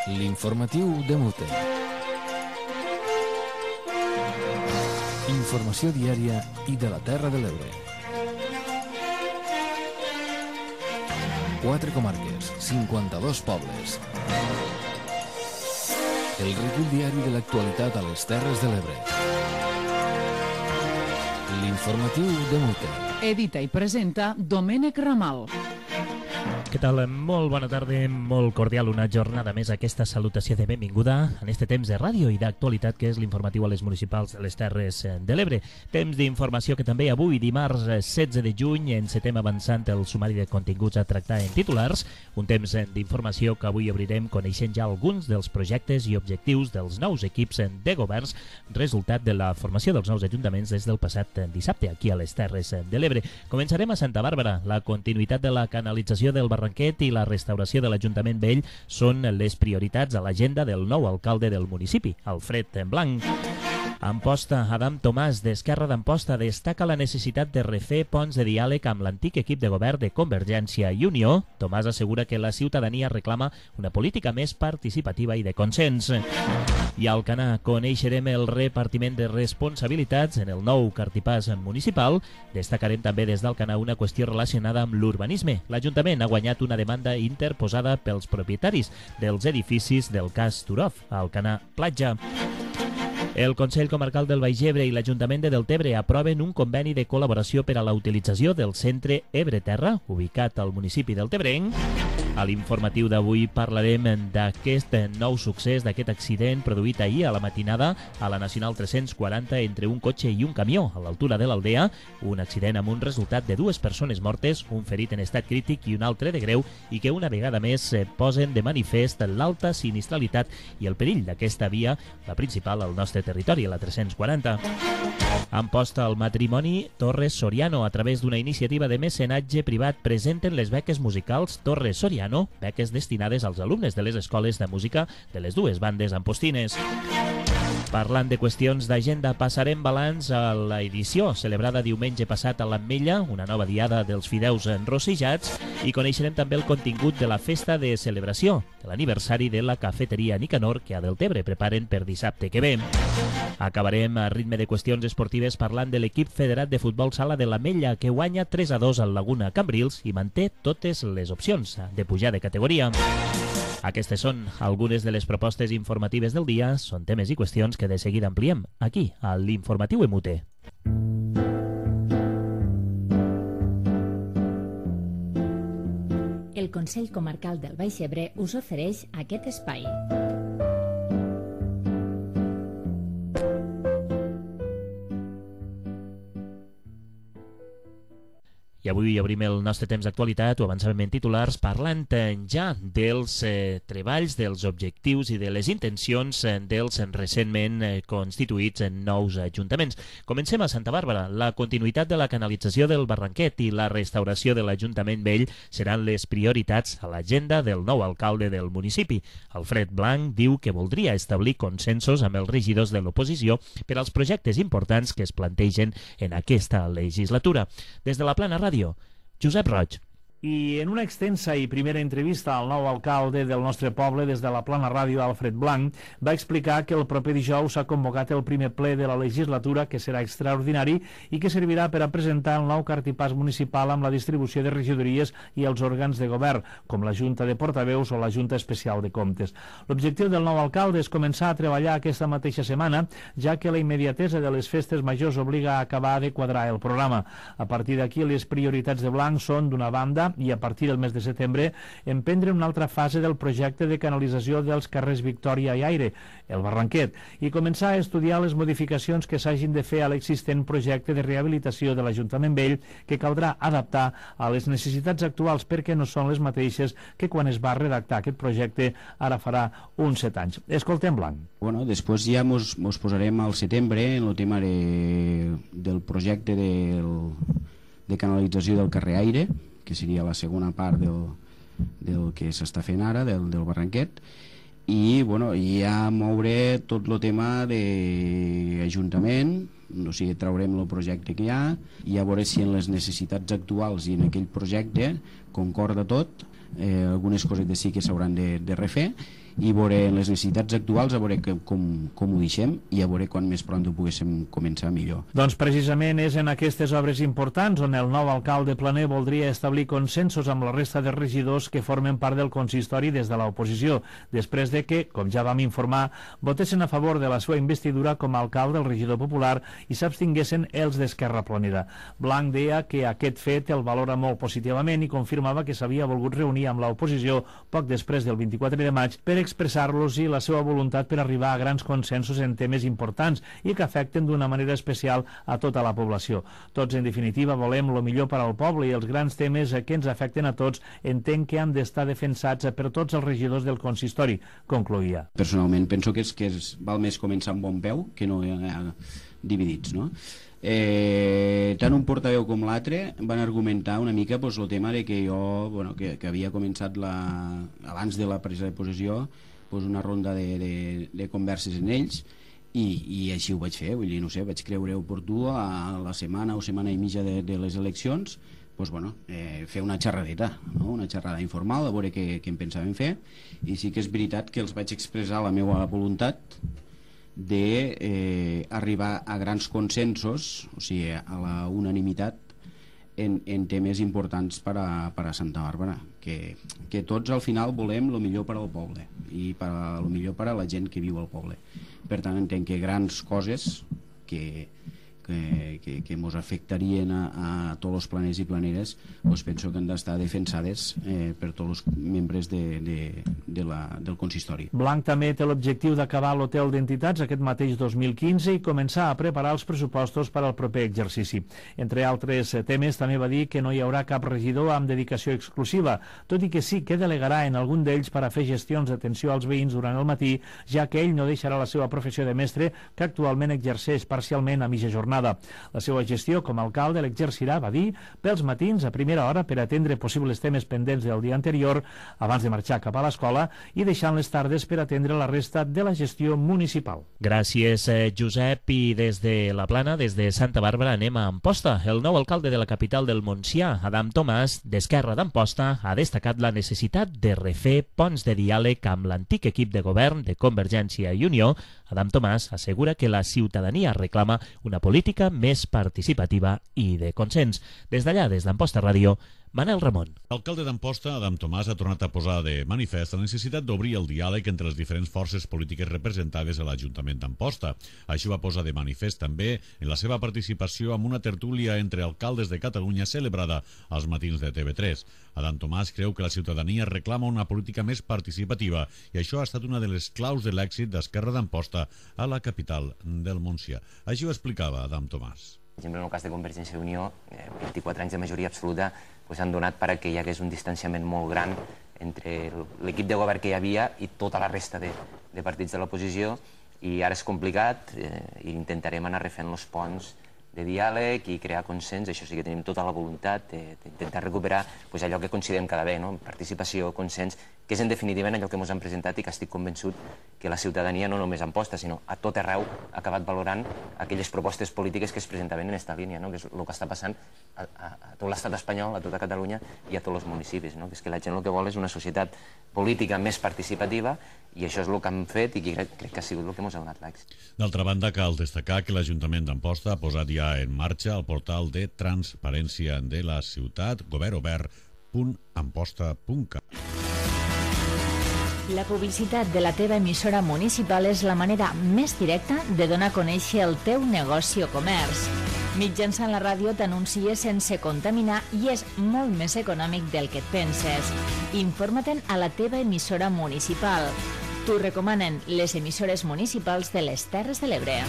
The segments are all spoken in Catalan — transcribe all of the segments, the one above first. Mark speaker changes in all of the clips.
Speaker 1: L'informatiu de Mute. Informació diària i de la Terra de l'Ebre. 4 comarques, 52 pobles. El recull diari de l'actualitat a les Terres de l'Ebre. L'informatiu de Mute.
Speaker 2: Edita i presenta Domènec Ramal.
Speaker 3: Què tal? Molt bona tarda, molt cordial, una jornada més, aquesta salutació de benvinguda en este temps de ràdio i d'actualitat que és l'informatiu a les municipals de les Terres de l'Ebre. Temps d'informació que també avui, dimarts 16 de juny, encetem avançant el sumari de continguts a tractar en titulars, un temps d'informació que avui obrirem coneixent ja alguns dels projectes i objectius dels nous equips de governs, resultat de la formació dels nous ajuntaments des del passat dissabte aquí a les Terres de l'Ebre. Començarem a Santa Bàrbara. La continuïtat de la canalització del Barranquet i la restauració de l'Ajuntament Vell són les prioritats a l'agenda del nou alcalde del municipi, Alfred Blanc. Amposta, Adam Tomàs, d'Esquerra d'Amposta, destaca la necessitat de refer ponts de diàleg amb l'antic equip de govern de Convergència i Unió. Tomàs assegura que la ciutadania reclama una política més participativa i de consens. I a Alcanar coneixerem el repartiment de responsabilitats en el nou cartipàs municipal. Destacarem també des d'Alcanar una qüestió relacionada amb l'urbanisme. L'Ajuntament ha guanyat una demanda interposada pels propietaris dels edificis del cas Turov, a Alcanar Platja. El Consell Comarcal del Baix Ebre i l'Ajuntament de Deltebre aproven un conveni de col·laboració per a la utilització del centre Ebre-Terra, ubicat al municipi deltebrenc. A l'informatiu d'avui parlarem d'aquest nou succés, d'aquest accident produït ahir a la matinada a la Nacional 340 entre un cotxe i un camió a l'altura de l'Aldea, un accident amb un resultat de 2 persones mortes, un ferit en estat crític i un altre de greu, i que una vegada més posen de manifest l'alta sinistralitat i el perill d'aquesta via, la principal al nostre territori, a la 340. Amposta al matrimoni Torres Soriano. A través d'una iniciativa de mecenatge privat presenten les beques musicals Torres Soriano, beques destinades als alumnes de les escoles de música de les dues bandes ampostines. Parlant de qüestions d'agenda, passarem balanç a l'edició celebrada diumenge passat a l'Ametlla, una nova diada dels fideus enrossejats, i coneixerem també el contingut de la festa de celebració de l'aniversari de la cafeteria Nicanor que a Deltebre preparen per dissabte que ve. Acabarem a ritme de qüestions esportives parlant de l'equip federat de futbol sala de l'Ametlla que guanya 3-2 al Laguna Cambrils i manté totes les opcions de pujar de categoria. Aquestes són algunes de les propostes informatives del dia, són temes i qüestions que de seguida ampliem aquí, a l'Informatiu Emute.
Speaker 4: El Consell Comarcal del Baix Ebre us ofereix aquest espai.
Speaker 3: I avui obrim el nostre temps d'actualitat, ho avançàvem en titulars, parlant ja dels treballs, dels objectius i de les intencions dels recentment constituïts nous ajuntaments. Comencem a Santa Bàrbara. La continuïtat de la canalització del Barranquet i la restauració de l'Ajuntament Vell seran les prioritats a l'agenda del nou alcalde del municipi. Alfred Blanc diu que voldria establir consensos amb els regidors de l'oposició per als projectes importants que es plantegen en aquesta legislatura. Des de la Plana Ràdio, Josep Roig.
Speaker 5: I en una extensa i primera entrevista al nou alcalde del nostre poble des de la Plana Ràdio, Alfred Blanc, va explicar que el proper dijous s'ha convocat el primer ple de la legislatura, que serà extraordinari i que servirà per a presentar el nou cartipàs municipal amb la distribució de regidories i els òrgans de govern, com la Junta de Portaveus o la Junta Especial de Comptes. L'objectiu del nou alcalde és començar a treballar aquesta mateixa setmana, ja que la immediatesa de les festes majors obliga a acabar de quadrar el programa. A partir d'aquí, les prioritats de Blanc són, d'una banda, i a partir del mes de setembre emprendre una altra fase del projecte de canalització dels carrers Victòria i Aire, el Barranquet, i començar a estudiar les modificacions que s'hagin de fer a l'existent projecte de rehabilitació de l'Ajuntament Vell, que caldrà adaptar a les necessitats actuals perquè no són les mateixes que quan es va redactar aquest projecte ara farà uns 7 anys. Escoltem Blanc.
Speaker 6: Bueno, després ja mos posarem al setembre en el tema del projecte de canalització del carrer Aire, que seria la segona part del que s'està fent ara, del Barranquet, i bueno, ja moure tot el tema d'Ajuntament, O sigui, traurem el projecte que hi ha i a veure si en les necessitats actuals i en aquell projecte concorda tot. Algunes cosetes sí que s'hauran de refer i veure les necessitats actuals, a veure com ho deixem i a veure quan més pront ho poguéssim començar millor.
Speaker 5: Doncs precisament és en aquestes obres importants on el nou alcalde planer voldria establir consensos amb la resta de regidors que formen part del consistori des de l'oposició, després de que, com ja vam informar, votessin a favor de la seva investidura com a alcalde el regidor popular i s'abstinguessin els d'Esquerra Planera. Blanc deia que aquest fet el valora molt positivament i confirmava que s'havia volgut reunir amb l'oposició poc després del 24 de maig per expressar-los i la seva voluntat per arribar a grans consensos en temes importants i que afecten d'una manera especial a tota la població. Tots, en definitiva, volem el millor per al poble i els grans temes que ens afecten a tots entenc que han d'estar defensats per tots els regidors del consistori, concloïa.
Speaker 6: Personalment penso que val més començar amb bon peu que no dividits, no? Tant un portaveu com l'altre van argumentar una mica el tema de que jo que havia començat abans de la presa de possessió una ronda de converses en ells i així ho vaig fer, vull dir, no sé, vaig creure oportú a la setmana o setmana i mitja de les eleccions fer una xerradeta, no? Una xerrada informal a veure què en pensàvem fer i sí que és veritat que els vaig expressar la meva voluntat d'arribar a grans consensos, o sigui, a la unanimitat en temes importants per a Santa Bàrbara, que tots al final volem el millor per al poble i el millor per a la gent que viu al poble. Per tant, entenc que grans coses que ens afectarien a tots els planers i planeres penso que han d'estar defensades per tots els membres del consistori.
Speaker 5: Blanc també té l'objectiu d'acabar l'hotel d'entitats aquest mateix 2015 i començar a preparar els pressupostos per al proper exercici. Entre altres temes, també va dir que no hi haurà cap regidor amb dedicació exclusiva, tot i que sí que delegarà en algun d'ells per a fer gestions d'atenció als veïns durant el matí, ja que ell no deixarà la seva professió de mestre, que actualment exerceix parcialment a mitja jornada. La seva gestió com a alcalde l'exercirà, va dir, pels matins a primera hora per atendre possibles temes pendents del dia anterior abans de marxar cap a l'escola i deixant les tardes per atendre la resta de la gestió municipal.
Speaker 3: Gràcies, Josep. I des de la Plana, des de Santa Bàrbara, anem a Amposta. El nou alcalde de la capital del Montsià, Adam Tomàs, d'Esquerra d'Amposta, ha destacat la necessitat de refer ponts de diàleg amb l'antic equip de govern de Convergència i Unió. Adam Tomàs assegura que la ciutadania reclama una política més participativa i de consens. Des d'allà, des d'Amposta Ràdio, Manel Ramon.
Speaker 7: L'alcalde d'Amposta, Adam Tomàs, ha tornat a posar de manifest la necessitat d'obrir el diàleg entre les diferents forces polítiques representades a l'Ajuntament d'Amposta. Això va posar de manifest també en la seva participació en una tertúlia entre alcaldes de Catalunya celebrada als matins de TV3. Adam Tomàs creu que la ciutadania reclama una política més participativa i això ha estat una de les claus de l'èxit d'Esquerra d'Amposta a la capital del Montsià. Així ho explicava Adam Tomàs.
Speaker 8: Per exemple, en el cas de Convergència i Unió, 24 anys de majoria absoluta han donat perquè hi hagués un distanciament molt gran entre l'equip de govern que hi havia i tota la resta de partits de l'oposició, i ara és complicat i intentarem anar refent els ponts de diàleg i crear consens. Això sí que tenim tota la voluntat d'intentar recuperar allò que considerem cada bé, participació, consens, que és en definitiva allò que ens han presentat i que estic convençut que la ciutadania no només a Amposta, sinó a tot arreu ha acabat valorant aquelles propostes polítiques que es presentaven en aquesta línia, que és el que està passant a tot l'estat espanyol, a tota Catalunya i a tots els municipis, que és que la gent el que vol és una societat política més participativa, i això és el que hem fet i crec que ha sigut el que ens ha donat l'èxit.
Speaker 7: D'altra banda, cal destacar que l'Ajuntament d'Amposta ha posat ja en marxa el portal de transparència de la ciutat, governobert.amposta.cat.
Speaker 4: La publicitat de la teva emissora municipal és la manera més directa de donar a conèixer el teu negoci o comerç. Mitjançant la ràdio t'anuncies sense contaminar i és molt més econòmic del que et penses. Informa-te'n a la teva emissora municipal. T'ho recomanen les emissores municipals de les Terres de l'Ebre.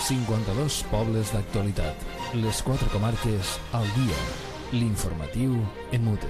Speaker 1: ...52 pobles d'actualitat. Les 4 comarques al dia. L'informatiu en Mute.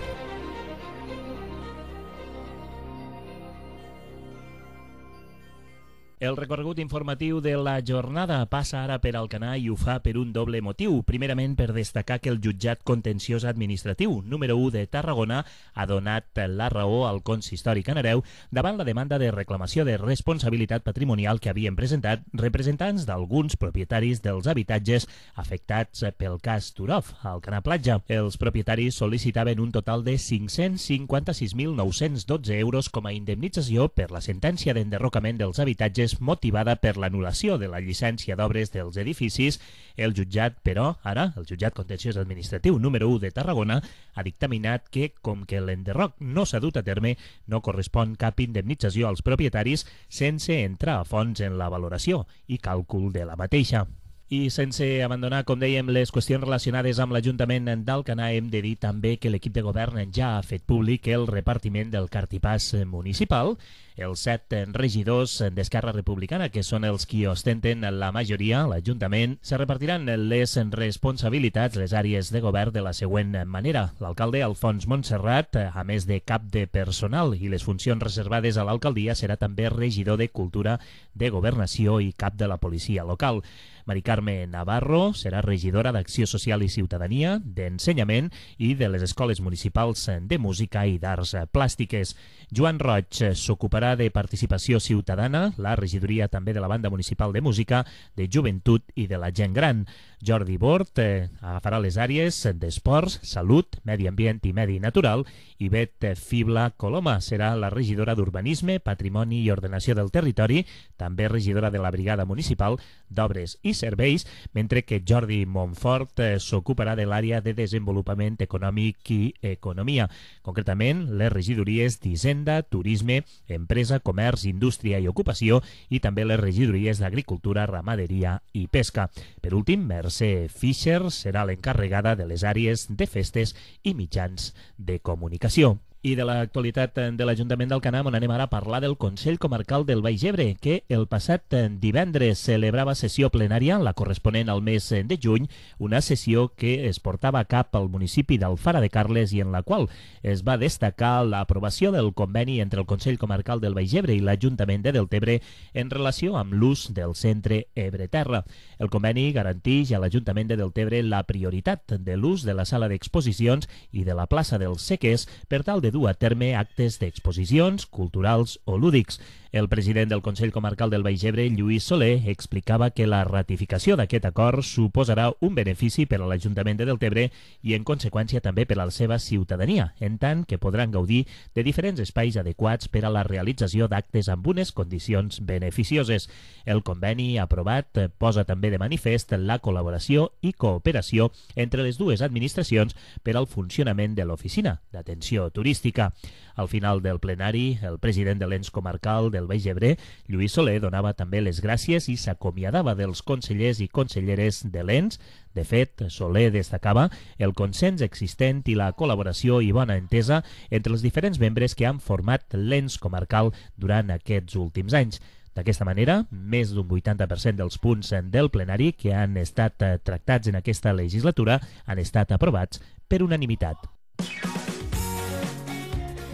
Speaker 3: El recorregut informatiu de la jornada passa ara per Alcanar i ho fa per un doble motiu. Primerament, per destacar que el jutjat contenciós administratiu número 1 de Tarragona ha donat la raó al consistori canareu davant la demanda de reclamació de responsabilitat patrimonial que havien presentat representants d'alguns propietaris dels habitatges afectats pel cas Turov, al Alcanar Platja. Els propietaris sol·licitaven un total de 556.912 euros com a indemnització per la sentència d'enderrocament dels habitatges motivada per l'anul·lació de la llicència d'obres dels edificis. El jutjat, però, ara, el jutjat contenciós administratiu número 1 de Tarragona, ha dictaminat que, com que l'enderroc no s'ha dut a terme, no correspon cap indemnització als propietaris sense entrar a fons en la valoració i càlcul de la mateixa. I sense abandonar, com dèiem, les qüestions relacionades amb l'Ajuntament d'Alcanar, hem de dir també que l'equip de govern ja ha fet públic el repartiment del cartipàs municipal. Els 7 regidors d'Esquerra Republicana, que són els qui ostenten la majoria a l'Ajuntament, se repartiran les responsabilitats, les àrees de govern, de la següent manera. L'alcalde Alfons Montserrat, a més de cap de personal i les funcions reservades a l'alcaldia, serà també regidor de Cultura, de Governació i cap de la policia local. Mari Carme Navarro serà regidora d'Acció Social i Ciutadania, d'Ensenyament i de les Escoles Municipals de Música i d'Arts Plàstiques. Joan Roig s'ocuparà de Participació Ciutadana, la regidoria també de la Banda Municipal de Música, de Joventut i de la Gent Gran. Jordi Bort agafarà les àrees d'Esports, Salut, Medi Ambient i Medi Natural, i Bet Fibla Coloma serà la regidora d'Urbanisme, Patrimoni i Ordenació del Territori, també regidora de la Brigada Municipal d'Obres i Serveis, mentre que Jordi Montfort s'ocuparà de l'àrea de Desenvolupament Econòmic i Economia, concretament les regidories d'Hisenda, Turisme, Empresa, Comerç, Indústria i Ocupació, i també les regidories d'Agricultura, Ramaderia i Pesca. Per últim, Mercè Fischer serà l'encarregada de les àrees de festes i mitjans de comunicació. I de l'actualitat de l'Ajuntament d'Alcanar anem ara a parlar del Consell Comarcal del Baix Ebre, que el passat divendres celebrava sessió plenària, la corresponent al mes de juny, una sessió que es portava a cap al municipi d'Alfara de Carles i en la qual es va destacar l'aprovació del conveni entre el Consell Comarcal del Baix Ebre i l'Ajuntament de Deltebre en relació amb l'ús del centre Ebre-Terra. El conveni garanteix a l'Ajuntament de Deltebre la prioritat de l'ús de la sala d'exposicions i de la plaça dels Sequers per tal de dur a terme actes d'exposicions culturals o lúdics. El president del Consell Comarcal del Baix Ebre, Lluís Soler, explicava que la ratificació d'aquest acord suposarà un benefici per a l'Ajuntament de Deltebre i, en conseqüència, també per a la seva ciutadania, en tant que podran gaudir de diferents espais adequats per a la realització d'actes amb unes condicions beneficioses. El conveni aprovat posa també de manifest la col·laboració i cooperació entre les dues administracions per al funcionament de l'oficina d'atenció turística. Al final del plenari, el president de l'ens comarcal del Baix Ebre, Lluís Soler, donava també les gràcies i s'acomiadava dels consellers i conselleres de l'ens. De fet, Soler destacava el consens existent i la col·laboració i bona entesa entre els diferents membres que han format l'ens comarcal durant aquests últims anys. D'aquesta manera, més d'un 80% dels punts del plenari que han estat tractats en aquesta legislatura han estat aprovats per unanimitat.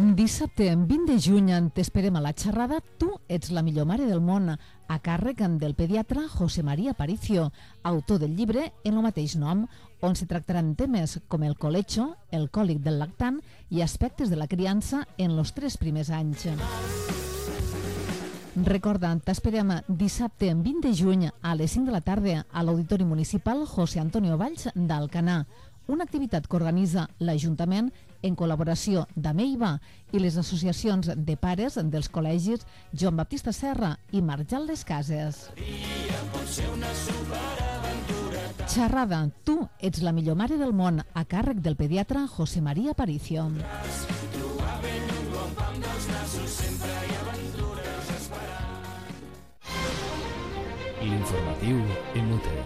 Speaker 2: Dissabte, 20 de juny, t'esperem a la xerrada Tu ets la millor mare del món, a càrrec del pediatre José María Aparicio, autor del llibre en el mateix nom, on se tractaran temes com el colecho, el còlic del lactant i aspectes de la criança en els 3 primers anys. Recorda, t'esperem dissabte 20 de juny a les 5 de la tarda a l'Auditori Municipal José Antonio Valls d'Alcanar, una activitat que organitza l'Ajuntament en col·laboració d'Ameiva i les associacions de pares dels col·legis Joan Baptista Serra i Marjal Les Cases. Xerrada, Tu ets la millor mare del món, a càrrec del pediatre José María Aparicio.
Speaker 1: L'informatiu en UTE.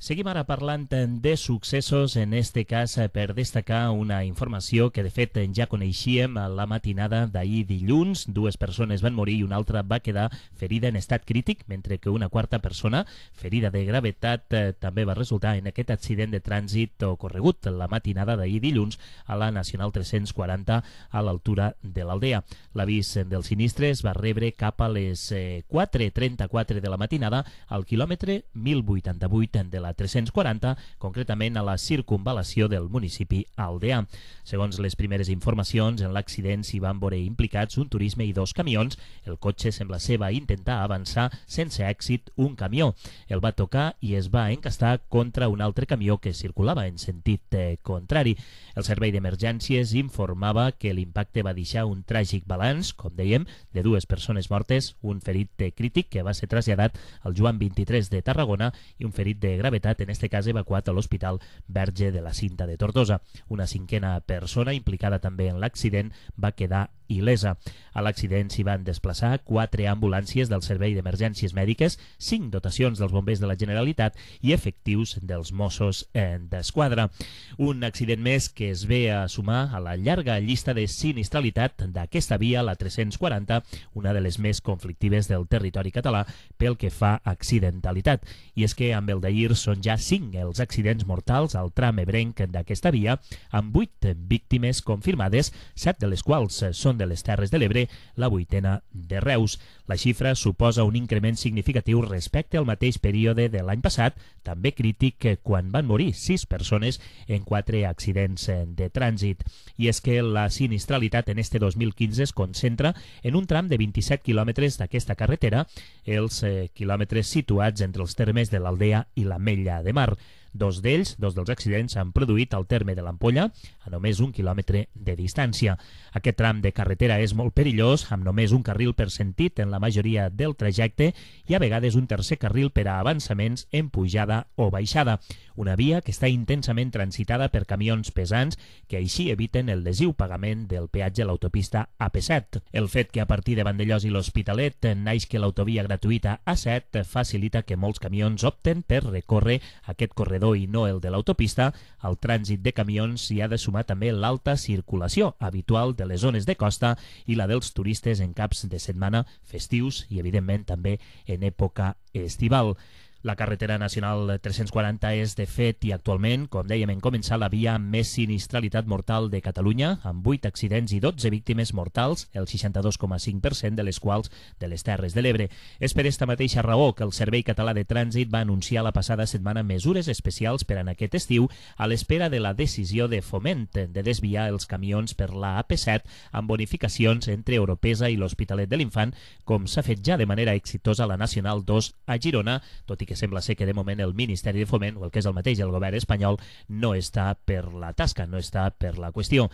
Speaker 3: Seguim ara parlant de successos, en este cas per destacar una informació que de fet ja coneixíem a la matinada d'ahir dilluns. 2 persones van morir i una altra va quedar ferida en estat crític, mentre que una quarta persona, ferida de gravetat, també va resultar en aquest accident de trànsit ocorregut la matinada d'ahir dilluns a la Nacional 340 a l'altura de l'Aldea. L'avís del sinistre es va rebre cap a les 4:34 de la matinada al quilòmetre 1088 de la 340, concretament a la circunvalació del municipi aldeà. Segons les primeres informacions, en l'accident s'hi van veure implicats un turisme i 2 camions. El cotxe sembla ser va intentar avançar sense èxit un camió. El va tocar i es va encastar contra un altre camió que circulava en sentit contrari. El servei d'emergències informava que l'impacte va deixar un tràgic balanç, com dèiem, de 2 persones mortes, un ferit crític que va ser traslladat al Joan 23 de Tarragona i un ferit de gravetat, en este cas evacuat a l'Hospital Verge de la Cinta de Tortosa. Una 5a persona implicada també en l'accident va quedar il·lesa. A l'accident s'hi van desplaçar 4 ambulàncies del Servei d'Emergències Mèdiques, 5 dotacions dels bombers de la Generalitat i efectius dels Mossos d'Esquadra. Un accident més que es ve a sumar a la llarga llista de sinistralitat d'aquesta via, la 340, una de les més conflictives del territori català pel que fa a accidentalitat. I és que amb el d'ahir són ja 5 els accidents mortals al tram ebrenc d'aquesta via, amb 8 víctimes confirmades, 7 de les quals són de les Terres de l'Ebre, la 8a de Reus. La xifra suposa un increment significatiu respecte al mateix període de l'any passat, també crític quan van morir 6 persones en 4 accidents de trànsit. I és que la sinistralitat en este 2015 es concentra en un tram de 27 quilòmetres d'aquesta carretera, els quilòmetres situats entre els termes de l'Aldea i l'Ametlla de Mar. 2 dels accidents s'han produït al terme de l'Ampolla, a només 1 quilòmetre de distància. Aquest tram de carretera és molt perillós, amb només un carril per sentit en la majoria del trajecte i a vegades un tercer carril per a avançaments en pujada o baixada. Una via que està intensament transitada per camions pesants que així eviten el lesiu pagament del peatge a l'autopista AP7. El fet que a partir de Vandellòs i l'Hospitalet naixi l'autovia gratuïta A7 facilita que molts camions opten per recórrer aquest corredor i no el de l'autopista. Al trànsit de camions s'hi ha de sumar també l'alta circulació habitual de les zones de costa i la dels turistes en caps de setmana festius i, evidentment, també en època estival. La carretera nacional 340 és, de fet, i actualment, com dèiem en començar, la via amb més sinistralitat mortal de Catalunya, amb 8 accidents i 12 víctimes mortals, el 62,5% de les quals de les Terres de l'Ebre. És per esta mateixa raó que el Servei Català de Trànsit va anunciar la passada setmana mesures especials per en aquest estiu a l'espera de la decisió de Foment de desviar els camions per la AP7 amb bonificacions entre Oropesa i l'Hospitalet de l'Infant, com s'ha fet ja de manera exitosa a la Nacional 2 a Girona, tot i que sembla ser que de moment el Ministeri de Foment, o el que és el mateix el govern espanyol, no està per la tasca, no està per la qüestió.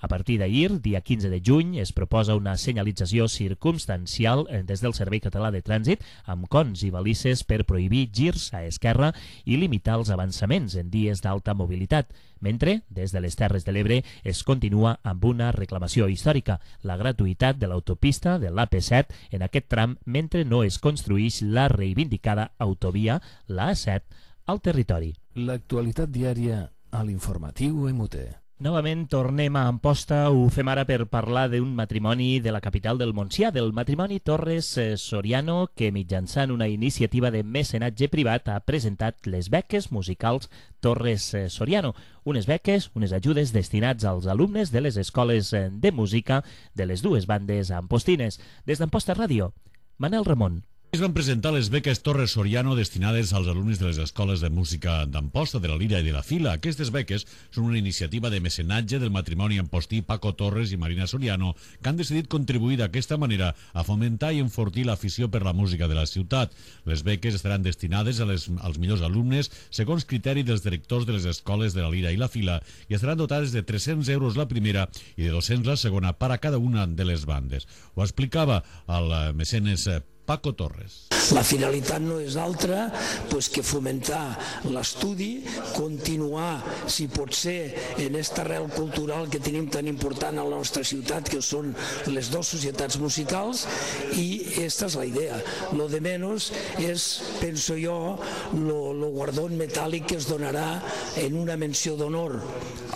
Speaker 3: A partir d'ahir, dia 15 de juny, es proposa una senyalització circumstancial des del Servei Català de Trànsit amb cons i balises per prohibir girs a esquerra i limitar els avançaments en dies d'alta mobilitat, mentre, des de les Terres de l'Ebre, es continua amb una reclamació històrica, la gratuïtat de l'autopista de l'AP7 en aquest tram mentre no es construïx la reivindicada autovia, la A7, al territori.
Speaker 1: L'actualitat diària a l'informatiu MUT.
Speaker 3: Novament tornem a Amposta, ho fem ara per parlar d'un matrimoni de la capital del Montsià, del matrimoni Torres Soriano, que mitjançant una iniciativa de mecenatge privat ha presentat les beques musicals Torres Soriano, unes beques, unes ajudes destinats als alumnes de les escoles de música de les 2 bandes ampostines. Des d'Amposta Ràdio, Manel Ramon.
Speaker 7: Es van presentar les beques Torres Soriano destinades als alumnes de les escoles de música d'Amposta, de la Lira i de la Fila. Aquestes beques són una iniciativa de mecenatge del matrimoni ampostí Paco Torres i Marina Soriano, que han decidit contribuir d'aquesta manera a fomentar i enfortir l'afició per la música de la ciutat. Les beques estaran destinades als millors alumnes segons criteri dels directors de les escoles de la Lira i la Fila i estaran dotades de 300 euros la primera i de 200 la segona per a cada una de les bandes. Ho explicava el mecenes Paco Torres.
Speaker 9: La finalitat no és altra que fomentar l'estudi, continuar, si pot ser, en aquesta arrel cultural que tenim tan important a la nostra ciutat, que són les dues societats musicals, i aquesta és la idea. Lo de menos és, penso jo, lo guardó metàl·lic que es donarà en una menció d'honor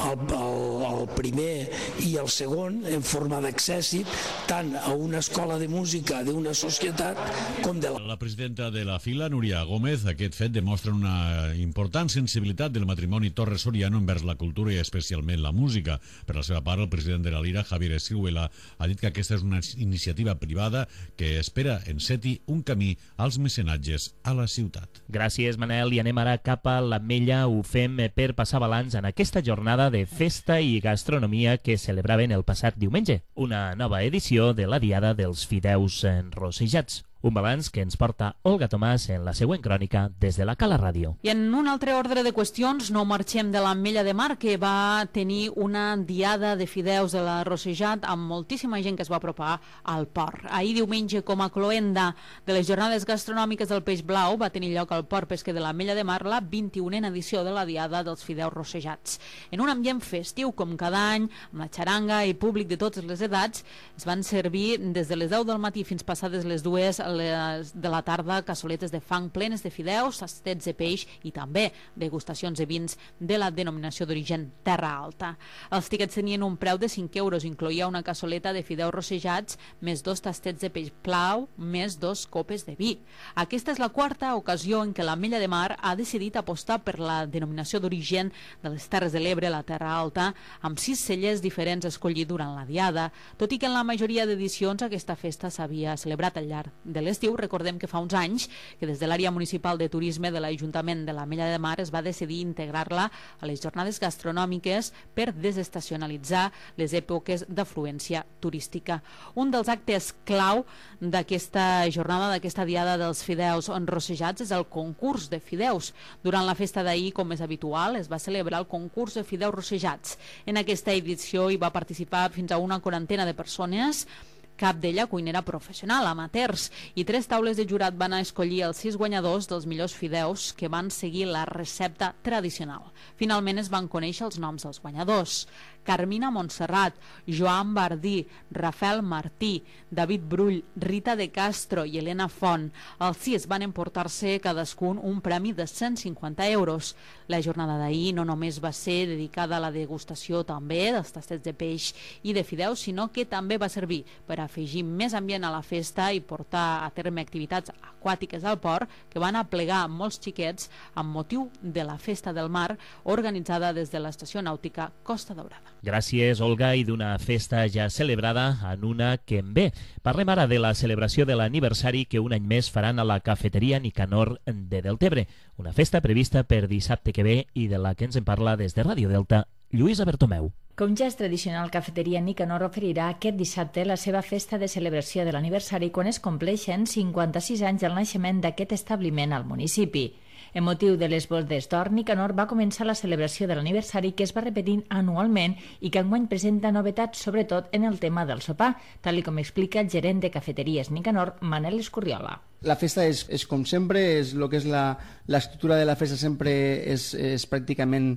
Speaker 9: al primer i al segon, en forma d'accèssit, tant a una escola de música d'una societat com de
Speaker 7: la presidenta de la fila, Núria Gómez, aquest fet demostra una important sensibilitat del matrimoni Torres-Soriano envers la cultura i especialment la música. Per la seva part, el president de la Lira, Javier Escrihuela, ha dit que aquesta és una iniciativa privada que espera enceti un camí als mecenatges a la ciutat.
Speaker 3: Gràcies, Manel, i anem ara cap a l'Ametlla. Ho fem per passar balanç en aquesta jornada de festa i gastronomia que celebraven el passat diumenge, una nova edició de la Diada dels Fideus Rosejats. Un balanç que ens porta Olga Tomàs en la següent crònica des de la Cala Ràdio.
Speaker 10: I en un altre ordre de qüestions, no marxem de l'Ametlla de Mar, que va tenir una diada de fideus de la Rosejat amb moltíssima gent que es va apropar al port. Ahir diumenge, com a cloenda de les jornades gastronòmiques del Peix Blau, va tenir lloc al port pesquer de l'Ametlla de Mar la 21a edició de la diada dels fideus rosejats. En un ambient festiu, com cada any, amb la xaranga i públic de totes les edats, es van servir des de les 10 del matí fins passades les 2 de la tarda cassoletes de fang plenes de fideus, tastets de peix i també degustacions de vins de la denominació d'origen Terra Alta. Els tiquets tenien un preu de 5 euros, incloïa una cassoleta de fideus rosejats, més 2 tastets de peix blau, més 2 copes de vi. Aquesta és la quarta ocasió en què l'Ametlla de Mar ha decidit apostar per la denominació d'origen de les Terres de l'Ebre, la Terra Alta, amb 6 cellers diferents escollits durant la diada, tot i que en la majoria d'edicions aquesta festa s'havia celebrat al llarg de l'estiu. Recordem que fa uns anys que des de l'àrea municipal de turisme de l'Ajuntament de l'Ametlla de Mar es va decidir integrar-la a les jornades gastronòmiques per desestacionalitzar les èpoques d'afluència turística. Un dels actes clau d'aquesta jornada, d'aquesta diada dels fideus rosejats, és el concurs de fideus. Durant la festa d'ahir, com és habitual, es va celebrar el concurs de fideus rosejats. En aquesta edició hi va participar fins a una 40 de persones, cap d'ella cuinera professional, amateurs, i 3 taules de jurat van escollir els 6 guanyadors dels millors fideus que van seguir la recepta tradicional. Finalment es van conèixer els noms dels guanyadors: Carmina Montserrat, Joan Bardí, Rafael Martí, David Brull, Rita de Castro i Helena Font. Els 6 van emportar-se cadascun un premi de 150 euros. La jornada d'ahir no només va ser dedicada a la degustació també dels tastets de peix i de fideus, sinó que també va servir per afegir més ambient a la festa i portar a terme activitats aquàtiques al port que van aplegar molts xiquets amb motiu de la Festa del Mar organitzada des de l'Estació Nàutica Costa Daurada.
Speaker 3: Gràcies, Olga, i d'una festa ja celebrada en una que en ve. Parlem ara de la celebració de l'aniversari que un any més faran a la cafeteria Nicanor de Deltebre, una festa prevista per dissabte que ve i de la que ens en parla des de Ràdio Delta, Lluïsa Bertomeu.
Speaker 4: Com ja és tradicional, Cafeteria Nicanor oferirà aquest dissabte la seva festa de celebració de l'aniversari quan es compleixen 56 anys del naixement d'aquest establiment al municipi. En motiu de les bodes d'or, Nicanor va començar la celebració de l'aniversari que es va repetint anualment i que enguany presenta novetats, sobretot en el tema del sopar, tal com explica el gerent de Cafeteries Nicanor, Manel Escurriola.
Speaker 11: La festa és com sempre, és lo que és l'estructura de la festa sempre és pràcticament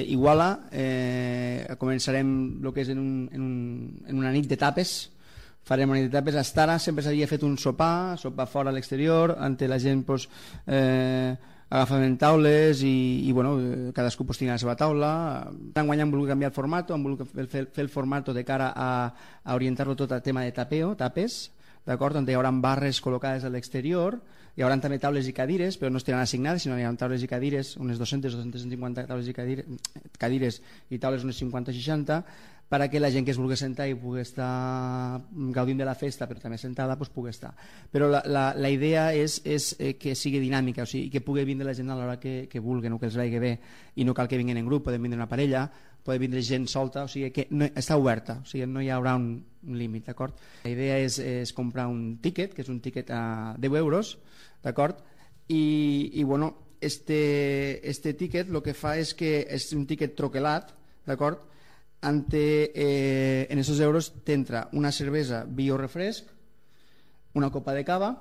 Speaker 11: iguala. Començarem el que és en una nit de tapes. Farem una nit de tapes. Hasta ara sempre s'havia fet un sopar fora a l'exterior, on la gent agafaven taules i bueno, cadascú tenia la seva taula. Enguany hem volgut canviar el format, hem volgut fer el format de cara a orientar-lo tot al tema de tapes, d'acord? On hi haurà barres col·locades a l'exterior, hi haurà també taules i cadires, però no estaran assignades, sinó hi haurà taules i cadires, unes 200-250 taules i cadires i taules unes 50-60, perquè la gent que es vulgui sentar i pugui estar gaudint de la festa, però també sentada, pugui estar. Però la idea és que sigui dinàmica, o sigui, que pugui vindre la gent a l'hora que vulguen o que els vagi bé, i no cal que vinguin en grup, poden vindre una parella, poden vindre gent solta, o sigui que està oberta, o sigui, no hi haurà un límit, d'acord? La idea és comprar un tíquet, que és un tíquet a 10 euros, d'acord? I bueno, este tíquet el que fa és que és un tíquet troquelat, d'acord? En aquests euros t'entra una cervesa bio refresc, una copa de cava,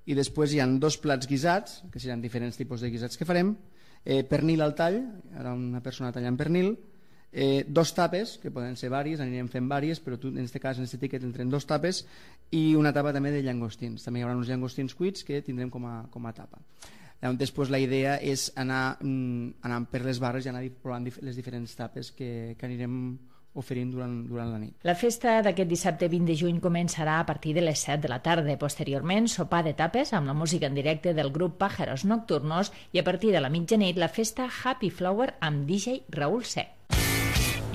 Speaker 11: i després hi ha 2 plats guisats, que seran diferents tipus de guisats que farem, pernil al tall, ara una persona tallant pernil, 2 tapes, que poden ser vàries, anirem fent vàries, però en aquest cas, en aquest tiquet, entrem 2 tapes, i una tapa també de llangostins. També hi haurà uns llangostins cuits que tindrem com a tapa. Després la idea és anar per les barres i anar provant les diferents tapes que anirem oferint durant la nit.
Speaker 4: La festa d'aquest dissabte 20 de juny començarà a partir de les 7 de la tarda. Posteriorment, sopar de tapes amb la música en directe del grup Pájaros Nocturnos i a partir de la mitjanit la festa Happy Flower amb DJ Raúl C.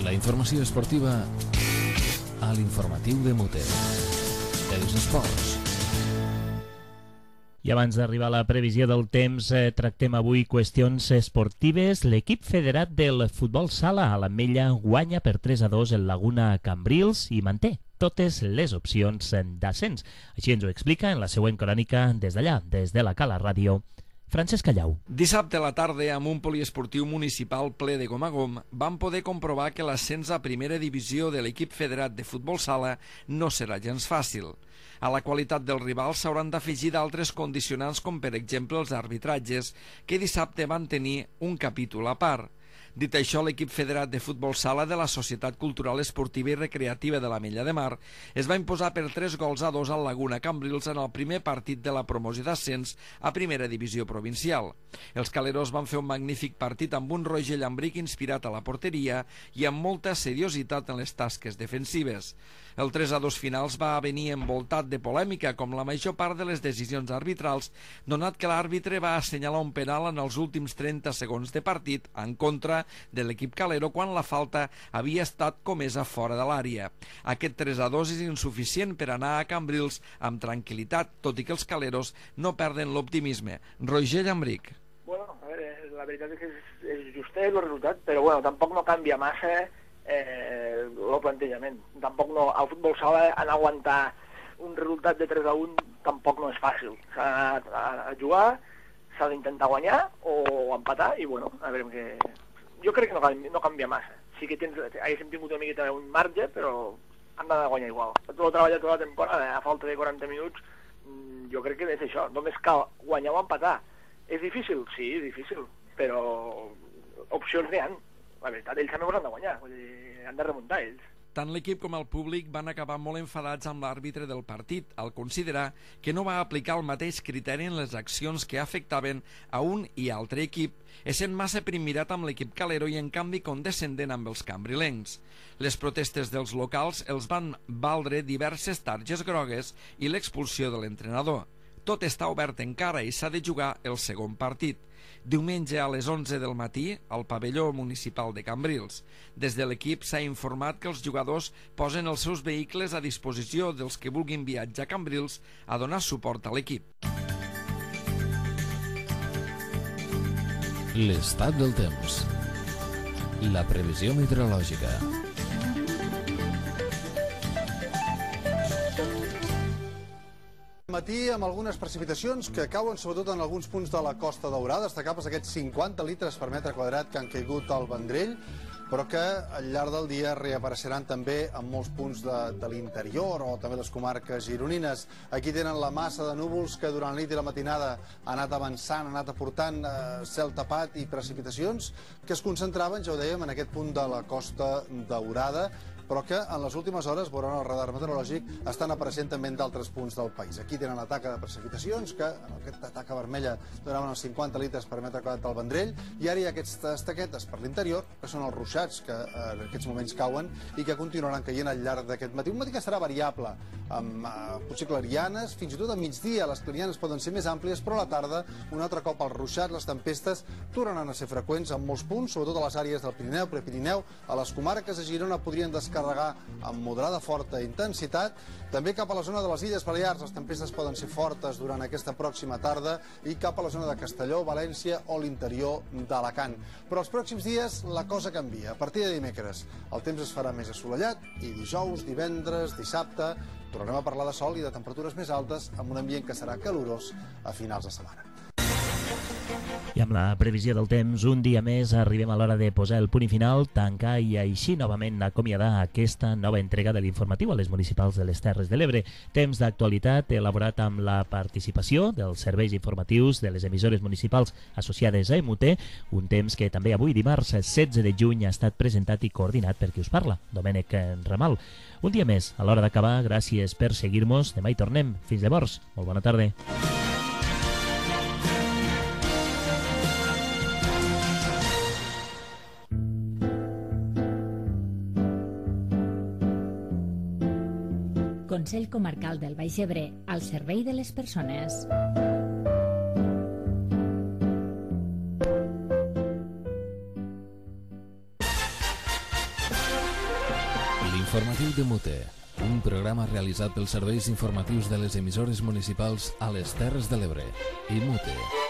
Speaker 1: La informació esportiva a l'informatiu de Muter. Els esports.
Speaker 3: I abans d'arribar a la previsió del temps, tractem avui qüestions esportives. L'equip federat del futbol sala a l'Ametlla guanya per 3-2 el Laguna Cambrils i manté totes les opcions d'ascens. Així ens ho explica en la següent crònica des d'allà, des de la Cala Ràdio, Francesc Callau.
Speaker 12: Dissabte a la tarda, amb un poliesportiu municipal ple de gom a gom, vam poder comprovar que l'ascens a primera divisió de l'equip federat de futbol sala no serà gens fàcil. A la qualitat dels rivals s'hauran d'afegir d'altres condicionants com per exemple els arbitratges, que dissabte van tenir un capítol a part. Dit això, l'equip federat de futbol sala de la Societat Cultural Esportiva i Recreativa de l'Ametlla de Mar es va imposar per 3-2 al Laguna Cambrils en el primer partit de la promoció d'ascens a primera divisió provincial. Els caleros van fer un magnífic partit amb un Roger Llambric inspirat a la porteria i amb molta seriositat en les tasques defensives. El 3-2 finals va venir envoltat de polèmica, com la major part de les decisions arbitrals, donat que l'àrbitre va assenyalar un penal en els últims 30 segons de partit en contra de l'equip calero quan la falta havia estat comesa fora de l'àrea. Aquest 3-2 és insuficient per anar a Cambrils amb tranquil·litat, tot i que els caleros no perden l'optimisme. Roger Llambric.
Speaker 13: Bueno, a veure, la veritat és que és justet el resultat, però bueno, tampoc no canvia massa el plantejament. Tampoc no, al futbol sala en aguantar un resultat de 3-1 tampoc no és fàcil. S'ha d'anar a jugar, s'ha d'intentar guanyar o empatar i bueno, a veure què... Jo crec que no canvia massa. Sí que haguéssim tingut una miqueta un marge, però han d'anar a guanyar igual. Tot el treballat tota la temporada, a falta de 40 minuts, jo crec que és això. Només cal guanyar o empatar. És difícil? Sí, és difícil, però opcions n'hi ha. La veritat, ells també han de guanyar, vull dir, han de remuntar ells.
Speaker 12: Tant l'equip com el públic van acabar molt enfadats amb l'àrbitre del partit al considerar que no va aplicar el mateix criteri en les accions que afectaven a un i altre equip, essent massa primirat amb l'equip calero i en canvi condescendent amb els cambrilencs. Les protestes dels locals els van valdre diverses targes grogues i l'expulsió de l'entrenador. Tot està obert encara i s'ha de jugar el segon partit. Diumenge a les 11 del matí al pavelló municipal de Cambrils. Des de l'equip s'ha informat que els jugadors posen els seus vehicles a disposició dels que vulguin viatjar a Cambrils a donar suport a l'equip.
Speaker 1: L'estat del temps. La previsió meteorològica.
Speaker 14: Matí amb algunes precipitacions que cauen sobretot en alguns punts de la Costa Daurada, destacables aquests 50 litres per metre quadrat que han caigut al Vendrell, però que al llarg del dia reapareixeran també en molts punts de l'interior o també les comarques gironines. Aquí tenen la massa de núvols que durant la nit i la matinada ha anat avançant, ha anat aportant cel tapat i precipitacions que es concentraven, ja ho dèiem, en aquest punt de la Costa Daurada, però que en les últimes hores, veuran el radar meteorològic, estan apareixent també en d'altres punts del país. Aquí tenen la taca de precipitacions, que en aquesta taca vermella donaven els 50 litres per metre quadrat del Vendrell, i ara hi ha aquestes taquetes per l'interior, que són els ruixats, que en aquests moments cauen i que continuaran caient al llarg d'aquest matí. Un matí que serà variable, amb potser clarianes, fins i tot a migdia les clarianes poden ser més àmplies, però a la tarda, un altre cop els ruixats, les tempestes, tornaran a ser freqüents en molts punts, sobretot a les àrees del Pirineu, Prepirineu, a les comarques de Girona podrien descarregar amb moderada forta intensitat. També cap a la zona de les Illes Balears les tempestes poden ser fortes durant aquesta pròxima tarda i cap a la zona de Castelló, València o l'interior d'Alacant. Però els pròxims dies la cosa canvia. A partir de dimecres el temps es farà més assolellat i dijous, divendres, dissabte tornarem a parlar de sol i de temperatures més altes amb un ambient que serà calorós a finals de setmana.
Speaker 3: I amb la previsió del temps, un dia més arribem a l'hora de posar el punt i final, tancar i així novament acomiadar aquesta nova entrega de l'informatiu a les municipals de les Terres de l'Ebre. Temps d'actualitat elaborat amb la participació dels serveis informatius de les emissores municipals associades a EMUT, un temps que també avui dimarts 16 de juny ha estat presentat i coordinat per qui us parla, Domènec Ramal. Un dia més, a l'hora d'acabar, gràcies per seguir-nos, demà hi tornem. Fins llavors, molt bona tarda.
Speaker 4: Consell Comarcal del Baix Ebre, al servei de les persones.
Speaker 1: L'informatiu de Mute, un programa realitzat pels serveis informatius de les emissores municipals a les Terres de l'Ebre. I Mute.